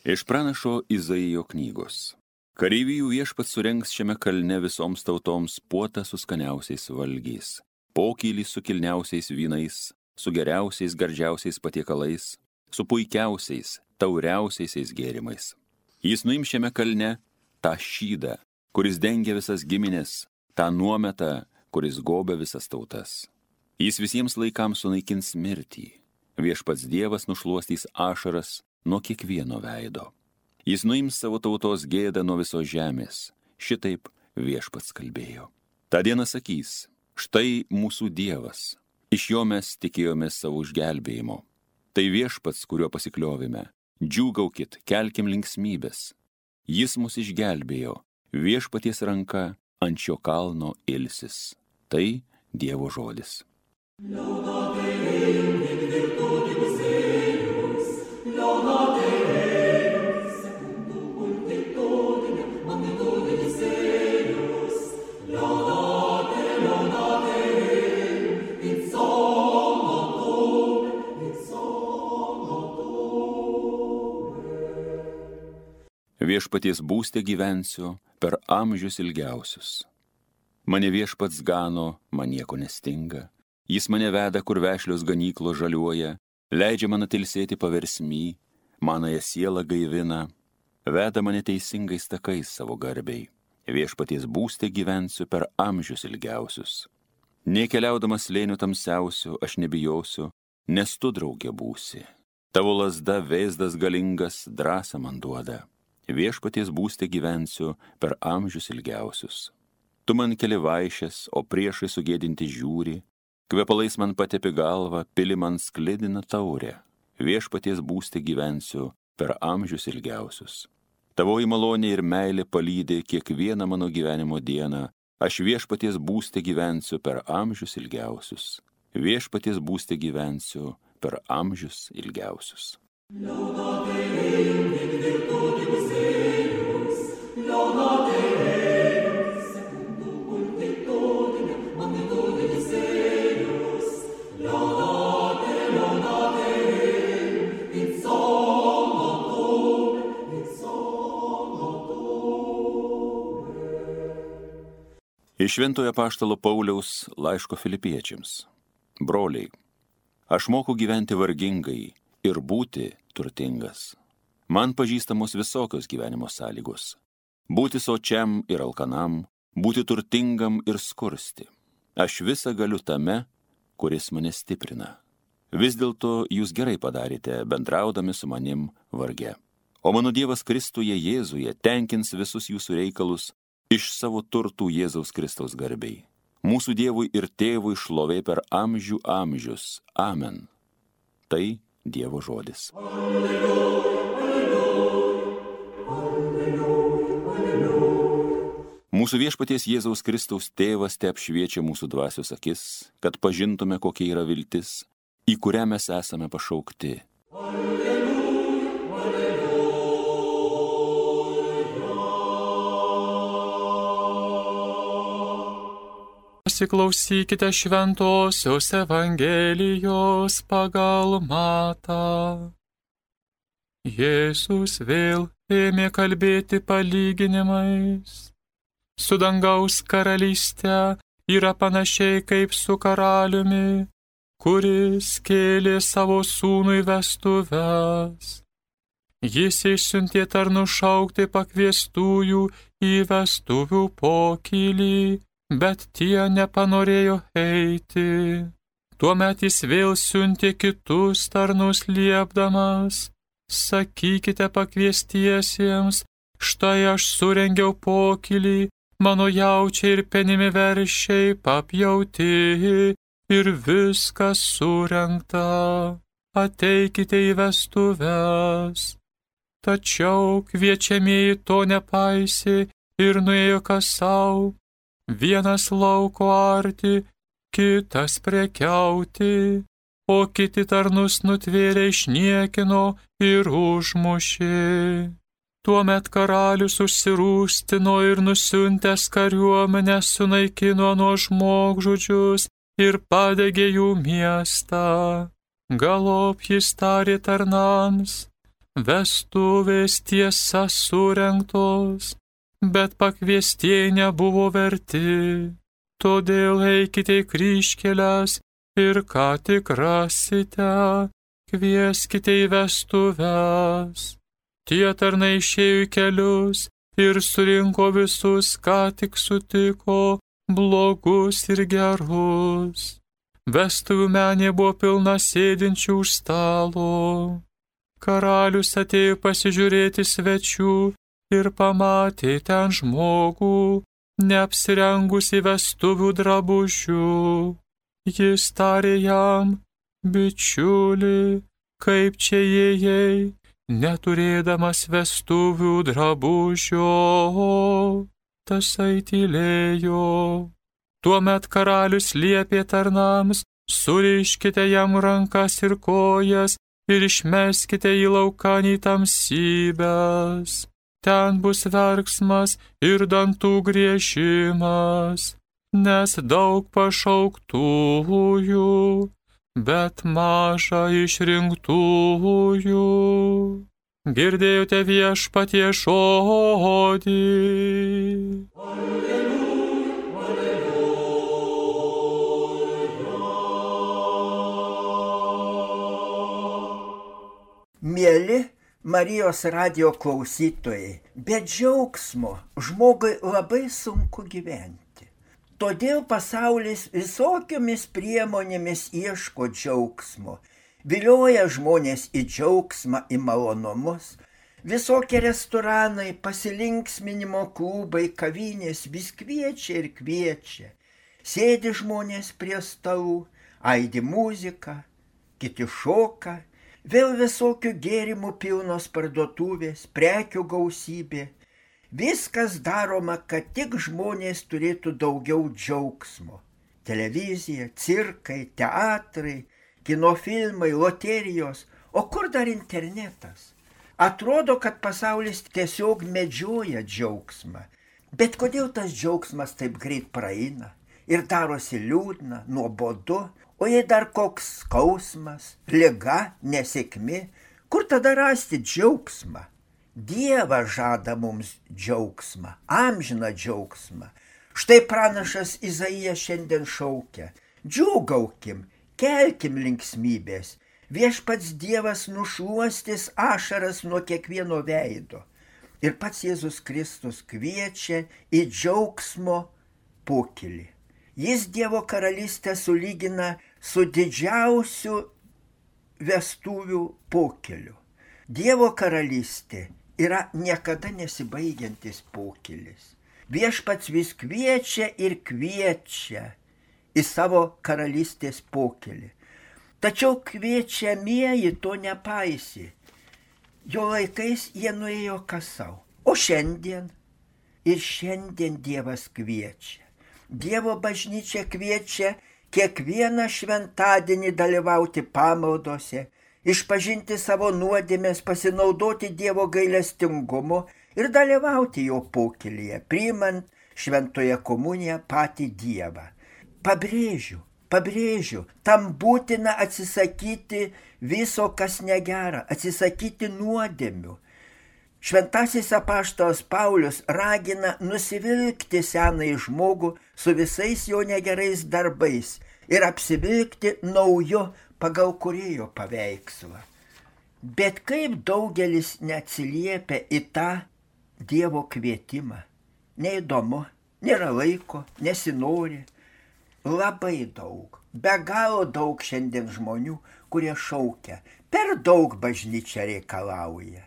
Iš pranašo Izaijo knygos. Kareivijų viešpats surengs šiame kalne visoms tautoms puotą su skaniausiais valgiais, pokylį su kilniausiais vynais, su geriausiais gardžiausiais patiekalais, su puikiausiais, tauriausiais gėrimais. Jis nuims šiame kalne tą šydą, kuris dengia visas giminės, tą nuometą, kuris gobia visas tautas. Jis visiems laikams sunaikins mirtį. Viešpats Dievas nušluostys ašaras nuo kiekvieno veido. Jis nuims savo tautos gėdą nuo visos žemės. Šitaip viešpats kalbėjo. Ta diena sakys, štai mūsų Dievas. Iš jo mes tikėjomės savo išgelbėjimo. Tai viešpats, kuriuo pasikliovime. Džiūgaukit, kelkim linksmybės. Jis mus išgelbėjo. Viešpaties ranka ant šio kalno ilsis. Tai Dievo žodis. Viešpaties būste gyvensiu per amžius ilgiausius. Mane viešpats gano, man nieko nestinga. Jis mane veda, kur vešlios ganyklos žaliuoja, leidžia man atilsėti paversmy, manąją sielą gaivina, veda mane teisingais takais savo garbei. Viešpaties būste gyvensiu per amžius ilgiausius. Nei keliaudamas slėniu tamsiausiu, aš nebijosiu, nes tu draugė būsi. Tavo lazda vėzdas galingas drąsą man duoda. Viešpaties būste gyvensiu per amžius ilgiausius. Tu man keli vaišes, o priešai sugėdinti žiūri, kvepalais man patepi galvą, pili man sklidina taurę. Viešpaties būste gyvensiu per amžius ilgiausius. Tavoji malonė ir meilė palydi kiekvieną mano gyvenimo dieną. Aš viešpaties būste gyvensiu per amžius ilgiausius. Viešpaties būste gyvensiu per amžius ilgiausius. Iš Šventojo apaštalo Pauliaus laiško Filipiečiams. Broliai, aš moku gyventi vargingai ir būti turtingas. Man pažįstamos visokios gyvenimo sąlygos. Būti sočiam ir alkanam, būti turtingam ir skursti. Aš visą galiu tame, kuris mane stiprina. Vis dėlto jūs gerai padarėte, bendraudami su manim varge. O mano Dievas Kristuje Jėzuje tenkins visus jūsų reikalus iš savo turtų Jėzaus Kristaus garbei. Mūsų Dievui ir Tėvui šlovė per amžių amžius. Amen. Tai Dievo žodis. Alleluja, alleluja, alleluja. Mūsų viešpaties Jėzaus Kristaus Tėvas te apšviečia mūsų dvasios akis, kad pažintume, kokia yra viltis, į kurią mes esame pašaukti. Pasiklausykite šventosios Evangelijos pagal Matą. Jėzus vėl ėmė kalbėti palyginimais. Su dangaus karalyste yra panašiai kaip su karaliumi, kuris kėlė savo sūnui vestuves. Jis išsiuntė tarnus šaukti pakviestųjų į vestuvių pokylį, bet tie nepanorėjo eiti. Tuomet jis vėl siuntė kitus tarnus liepdamas, sakykite pakviestiesiems, štai aš surengiau pokylį, mano jaučiai ir penimi veršiai papjauti ir viskas surengta. Ateikite į vestuves. Tačiau kviečiamieji to nepaisė ir nuėjo kas sau. Vienas lauko arti, kitas prekiauti, o kiti tarnus nutvėrė išniekino ir užmušė. Tuomet karalius užsirūstino ir nusiuntęs kariuomenę sunaikino nuo žmogžudžius ir padegė jų miestą. Galop jis tarė tarnams, vestuvės tiesa surengtos, bet pakviestieji nebuvo verti. Todėl eikite į kryžkeles ir ką tik rasite, kvieskite į vestuves. Tie tarnai išėjo į kelius ir surinko visus, ką tik sutiko, blogus ir gerus. Vestuvių menė buvo pilna sėdinčių už stalo. Karalius atėjo pasižiūrėti svečių ir pamatė ten žmogų, neapsirengusi vestuvių drabužių. Jis tarė jam: bičiuli, kaip čia įėjai, neturėdamas vestuvių drabužio? Tasai tylėjo. Tuomet karalius liepė tarnams: suriškite jam rankas ir kojas ir išmeskite į laukanį tamsybes. Ten bus verksmas ir dantų griežimas, nes daug pašauktųjų, bet maža išrinktųjų. Girdėjote Viešpaties žodį. Mieli Marijos radijo klausytojai, be džiaugsmo žmogui labai sunku gyventi. Todėl pasaulis visokiomis priemonėmis ieško džiaugsmo, vilioja žmonės į džiaugsmą, į malonumus. Visokie restoranai, pasilinksminimo klubai, kavinės vis kviečia ir kviečia. Sėdi žmonės prie stalų, aidi muzika, kiti šoka. Vėl visokių gėrimų pilnos parduotuvės, prekių gausybė. Viskas daroma, kad tik žmonės turėtų daugiau džiaugsmo. Televizija, cirkai, teatrai, kinofilmai, loterijos, o kur dar internetas? Atrodo, kad pasaulis tiesiog medžioja džiaugsmą. Bet kodėl tas džiaugsmas taip greit praeina ir darosi liūdna, nuobodu? O jei dar koks skausmas, liga, nesėkmė, kur tada rasti džiaugsmą? Dievas žada mums džiaugsmą, amžiną džiaugsmą. Štai pranašas Izaijas šiandien šaukia: džiūgaukim, kelkim linksmybės. Viešpats Dievas nušluostys ašaras nuo kiekvieno veido. Ir pats Jėzus Kristus kviečia į džiaugsmo pokylį. Jis Dievo karalystę sulygina su didžiausiu vestuvių pokyliu. Dievo karalystė yra niekada nesibaigiantis pokylis. Viešpats vis kviečia ir kviečia į savo karalystės pokylį. Tačiau kviečiamieji to nepaisė. Jo laikais jie nuėjo kas sau. O šiandien? Ir šiandien Dievas kviečia. Dievo bažnyčia kviečia kiekvieną šventadienį dalyvauti pamaldose, išpažinti savo nuodėmes, pasinaudoti Dievo gailestingumu ir dalyvauti jo pokylyje, priimant šventoje komuniją patį Dievą. Pabrėžiu, tam būtina atsisakyti viso, kas negera, atsisakyti nuodėmių. Šventasis apaštalas Paulius ragina nusivilkti senąjį žmogų su visais jo negerais darbais ir apsivilkti nauju pagal kūrėjo paveikslą. Bet kaip daugelis neatsiliepia į tą Dievo kvietimą? Neįdomu, nėra laiko, nesinori. Labai daug, be galo daug šiandien žmonių, kurie šaukia, per daug bažnyčia reikalauja.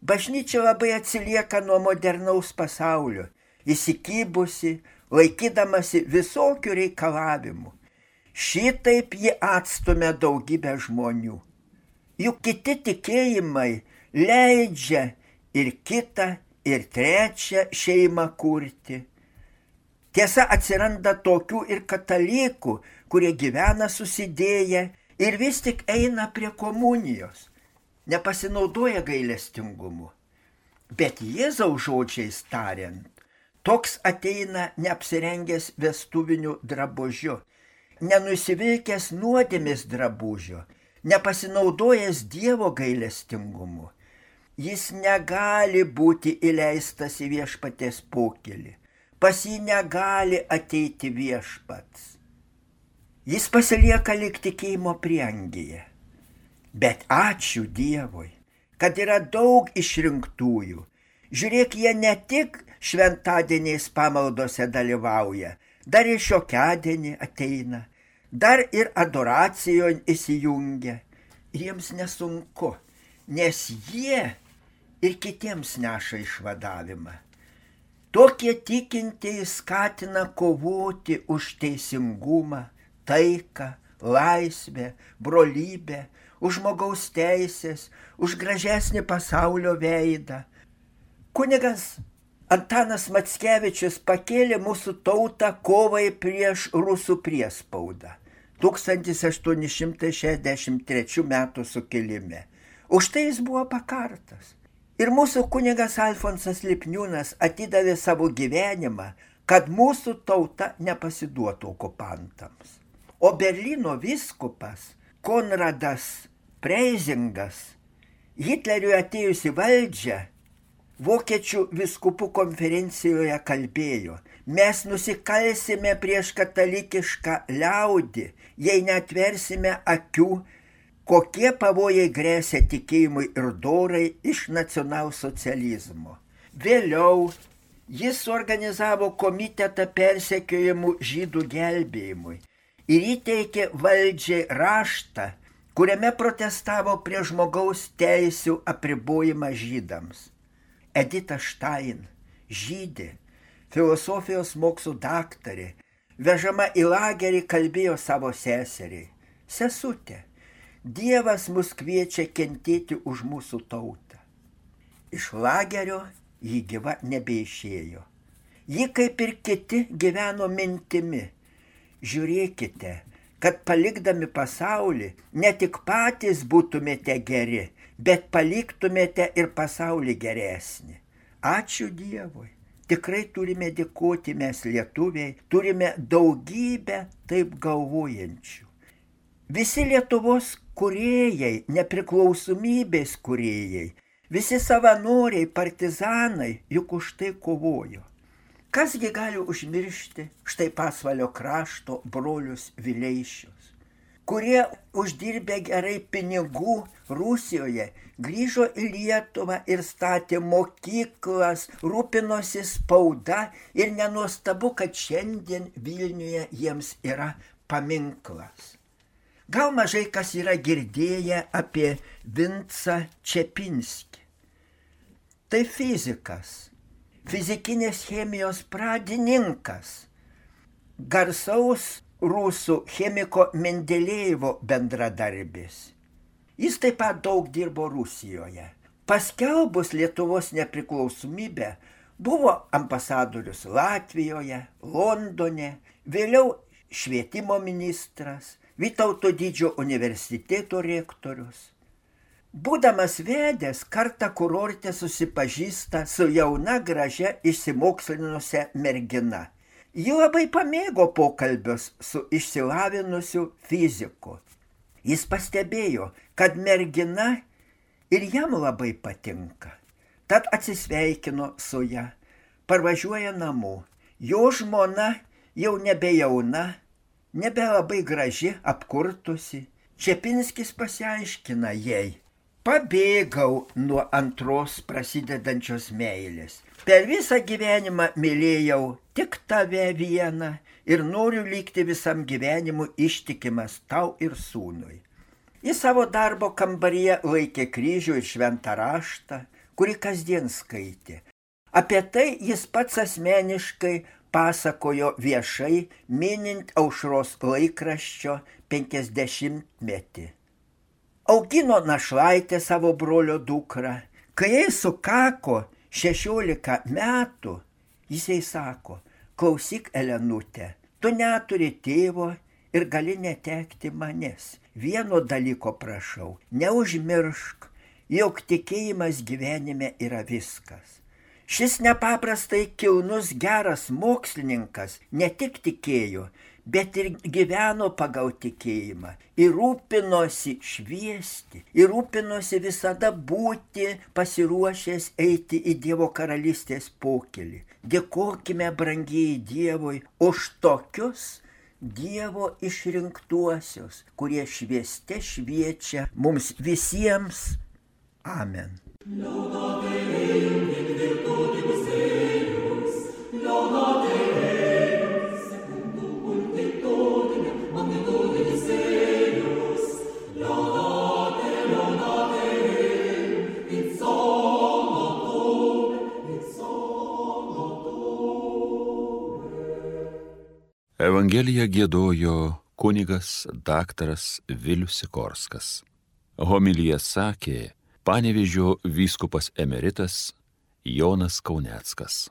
Bažnyčia labai atsilieka nuo modernaus pasaulio, įsikybusi, laikydamasi visokių reikalavimų. Šitaip ji atstumia daugybę žmonių. Juk kiti tikėjimai leidžia ir kitą, ir trečią šeimą kurti. Tiesa, atsiranda tokių ir katalikų, kurie gyvena susidėję ir vis tik eina prie komunijos. Nepasinaudoja gailestingumu. Bet Jėzaus žodžiais tariant, toks ateina neapsirengęs vestuviniu drabužiu, nenusivilkęs nuodėmės drabužio, nepasinaudojęs Dievo gailestingumu. jis negali būti įleistas į viešpaties pokylį. Pas jį negali ateiti viešpats. Jis pasilieka lyg tikėjimo prieangyje. Bet ačiū Dievui, kad yra daug išrinktųjų. Žiūrėk, jie ne tik šventadieniais pamaldose dalyvauja, dar ir šiokiadienį ateina, dar ir adoracijon įsijungia. Ir jiems nesunku, nes jie ir kitiems neša išvadavimą. Tokie tikintieji skatina kovoti už teisingumą, taiką, laisvę, brolybę, už žmogaus teisės, už gražesnį pasaulio veidą. Kunigas Antanas Mackevičius pakėlė mūsų tautą kovai prieš rusų priespaudą 1863 metų sukilime. Už tai jis buvo pakartas. Ir mūsų kunigas Alfonsas Lipniūnas atidavė savo gyvenimą, kad mūsų tauta nepasiduotų okupantams. O Berlyno vyskupas Konradas Preizingas Hitleriui atėjus į valdžią Vokiečių vyskupų konferencijoje kalbėjo: mes nusikalsime prieš katalikišką liaudį, jei neatversime akių, kokie pavojai grėsia tikėjimui ir dorai iš nacionalsocializmo. Vėliau jis suorganizavo komitetą persekiojimų žydų gelbėjimui ir įteikė valdžiai raštą, kuriame protestavo prieš žmogaus teisių apribojimą žydams. Edita Štain, žydė, filosofijos mokslų daktarė, vežama į lagerį kalbėjo savo seseriai: sesutė, Dievas mus kviečia kentėti už mūsų tautą. Iš lagerio ji gyva nebeišėjo. Ji kaip ir kiti gyveno mintimi: žiūrėkite, kad palikdami pasaulį ne tik patys būtumėte geri, bet paliktumėte ir pasaulį geresnį. Ačiū Dievui. Tikrai turime dėkoti mes lietuviai, turime daugybę taip galvojančių. Visi Lietuvos kūrėjai, nepriklausomybės kūrėjai, visi savanoriai, partizanai juk už tai kovojo. Kasgi gali užmiršti štai Pasvalio krašto brolius Vileišius, kurie uždirbę gerai pinigų Rusijoje grįžo į Lietuvą ir statė mokyklas, rūpinosi spauda ir nenuostabu, kad šiandien Vilniuje jiems yra paminklas. Gal mažai kas yra girdėję apie Vincą Čepinskį. Tai fizikas, fizikinės chemijos pradininkas, garsaus rusų chemiko Mendelėjevo bendradarbis. Jis taip pat daug dirbo Rusijoje. Paskelbus Lietuvos nepriklausomybę buvo ambasadorius Latvijoje, Londone, vėliau švietimo ministras, Vytauto Didžiojo universiteto rektorius. Būdamas vedęs, kartą kurorte susipažįsta su jauna gražia išsimokslinusia mergina. Ji labai pamėgo pokalbius su išsilavinusiu fiziku. Jis pastebėjo, kad mergina ir jam labai patinka. Tad atsisveikino su ja, parvažiuoja namo. Jo žmona jau nebejauna, nebelabai graži, apkurtusi. Čepinskis pasiaiškina jai: pabėgau nuo antros prasidedančios meilės. Per visą gyvenimą mylėjau tik tave vieną ir noriu likti visam gyvenimu ištikimas tau ir sūnui. Jis savo darbo kambaryje laikė kryžių ir šventą raštą, kurį kasdien skaitė. Apie tai jis pats asmeniškai pasakojo viešai, minint Aušros laikraščio 50-metį. Augino našlaitę savo brolio dukrą. Kai jai sukako 16 metų, jisai sako: klausyk, Elenutė, tu neturi tėvo ir gali netekti manęs. Vieno dalyko prašau, neužmiršk, jog tikėjimas gyvenime yra viskas. Šis nepaprastai kilnus geras mokslininkas ne tik tikėjo, bet ir gyveno pagal tikėjimą, ir rūpinosi šviesti, ir rūpinosi visada būti pasiruošęs eiti į Dievo karalystės pokylį. Dėkokime, brangieji Dievui, už tokius Dievo išrinktuosius, kurie švieste šviečia mums visiems. Amen. Evangeliją giedojo kunigas daktaras Vilius Sikorskas. Homiliją sakė Panevėžio vyskupas emeritas Jonas Kauneckas.